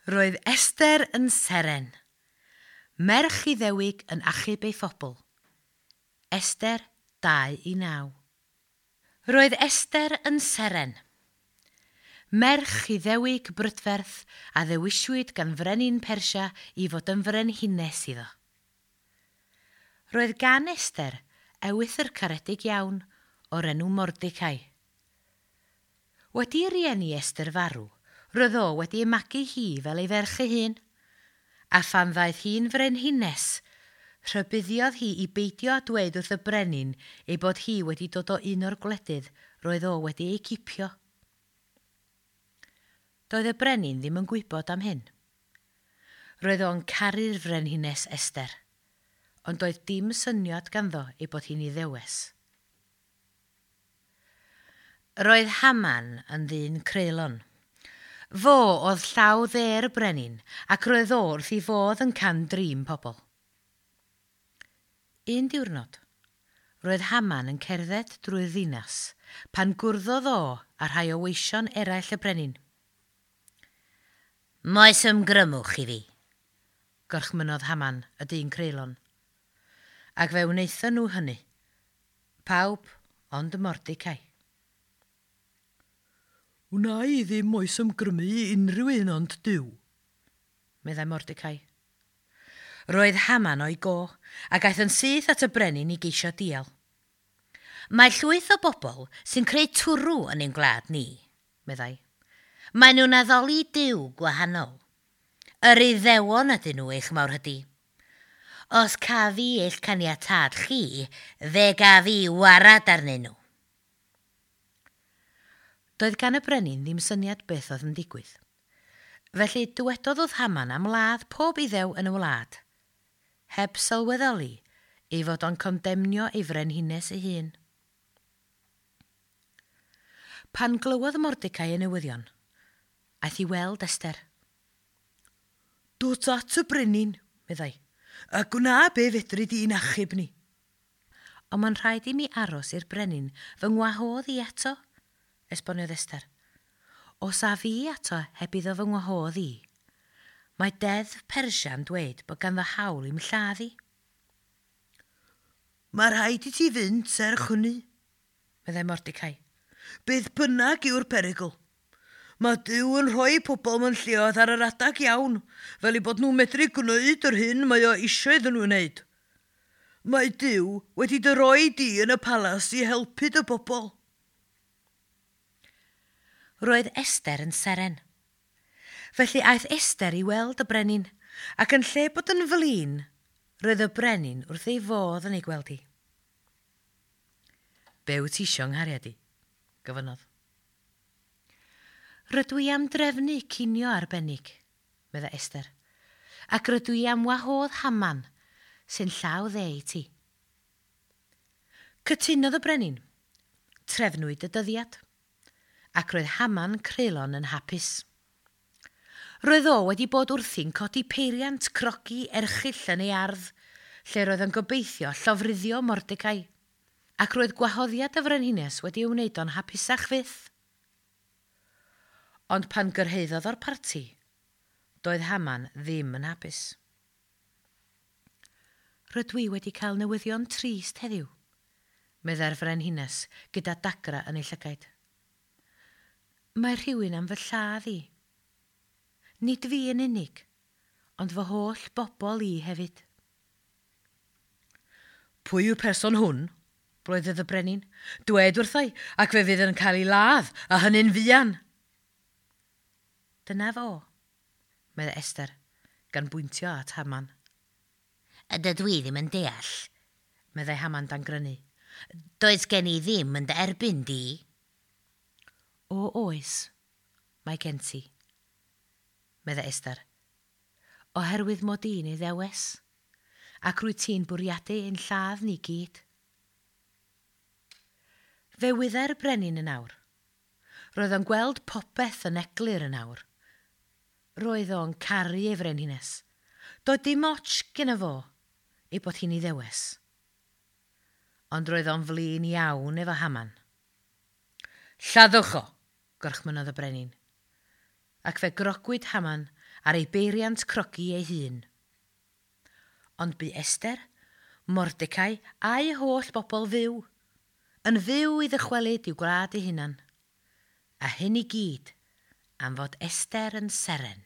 Roedd Esther yn seren. Merch Iddewig yn achub ei phobl. Esther 2 i 9. Roedd Esther yn seren. Merch Iddewig brydferth a ddewiswyd gan frenin Persia i fod yn frenhines iddo. Roedd gan Esther ewythr caredig iawn o'r enw Mordecai. Wedi i rieni Esther farw, roedd o wedi ei magu hi fel ei ferch ei hun, a phan ddaeth hi'n frenhines, rhybuddiodd hi i beidio â dweud wrth y brenin ei bod hi wedi dod o un o'r gwledydd roedd o wedi ei cipio. Doedd y brenin ddim yn gwybod am hyn. Roedd o'n caru'r frenhines Esther, ond doedd dim syniad ganddo ei bod hi'n Iddewes. Roedd Haman yn ddyn creulon. Fo oedd llaw dde'r brenin ac roedd o wrth ei fodd yn cam-drin pobl. Un diwrnod, roedd Haman yn cerdded drwy'r ddinas pan gwrddodd o â rhai o weision eraill y brenin. Moes ymgrymwch i fi, gorchmynnodd Haman, y dyn creulon. Ac fe wnaethon nhw hynny. Pawb ond Mordecai. Wna i ddim moes ymgrymu i unrhyw un ond Duw, meddai Mordecai. Roedd Haman o'i go, ac aeth yn syth at y brenin i geisio dial. Mae llwyth o bobl sy'n creu twrw yn ein gwlad ni, meddai. Maen nhw'n addoli Duw gwahanol. Yr Iddewon ydyn nhw eich mawrhydi. Os caf i eich caniatâd chi, fe gaf i warad arnyn nhw. Doedd gan y brenin ddim syniad beth oedd yn digwydd. Felly dywedodd wrth Haman am ladd pob Iddew yn y wlad, heb sylweddoli ei fod o'n condemnio ei frenhines ei hun. Pan glywodd Mordecai y newyddion, aeth i weld Esther. Dod at y brenin, meddai, a gwna be fedri di'n achub ni. Ond mae'n rhaid i mi aros i'r brenin fy ngwahodd i eto, esboniodd Esther. Os af i ato heb iddo fy ngwahodd i, mae deddf Persia'n dweud bod ganddo hawl i'm lladd i. Mae rhaid i ti fynd serch hynny, meddai Mordecai. Beth bynnag yw'r perygl. Mae Duw yn rhoi pobl mewn lleoedd ar yr adag iawn, fel eu bod nhw'n medru gwneud yr hyn mae o eisiau iddyn nhw wneud. Mae Duw wedi dy roi di yn y palas i helpu dy bobl. Roedd Esther yn seren. Felly aeth Esther i weld y brenin, ac yn lle bod yn flin, roedd y brenin wrth ei fodd yn ei gweld hi. Be wyt ti isio 'nghariad i? Gofynnodd. Rydw i am drefnu cinio arbennig, meddai Esther, ac rydw i am wahodd Haman, sy'n llaw dde i ti. Cytunodd y brenin. Trefnwyd y dyddiad, ac roedd Haman creulon yn hapus. Roedd o wedi bod wrthi'n codi peiriant crogi erchyll yn ei ardd, lle roedd yn gobeithio llofruddio Mordecai, ac roedd gwahoddiad y frenhines wedi ei wneud o'n hapusach fyth. Ond pan gyrhaeddodd o'r parti, doedd Haman ddim yn hapus. Rydw i wedi cael newyddion trist heddiw, meddai'r frenhines gyda dagra yn ei llygaid. Mae rhywun am fy lladd i. Nid fi yn unig, ond fy holl bobl i hefyd. Pwy yw'r person hwn? Bloeddodd y brenin. Dwed wrthai, ac fe fydd yn cael ei ladd, a hynny'n fuan. Dyna fo, meddai Esther, gan bwyntio at Haman. Dydw i ddim yn deall, meddai Haman dan grynu. Does gen i ddim yn dy erbyn di. O oes, mae gen ti, meddai Esther, oherwydd mod i'n Iddewes, ac rwyt ti'n bwriadu ein lladd ni gyd. Fe wyddai'r brenin yn awr. Roedd o'n gweld popeth yn eglur yn awr. Roedd o'n caru ei frenhines. Doedd dim ots gyda fo ei bod hi'n Iddewes. Ond roedd o'n flin iawn efo Haman. Lladdwch o, gorchmynnodd y brenin. Ac fe grogwyd Haman ar ei beiriant crogi ei hun. Ond bu Esther, Mordecai a'i holl bobl fyw, yn fyw i ddychwelyd i'w gwlad ei hunan. A hyn i gyd am fod Esther yn seren.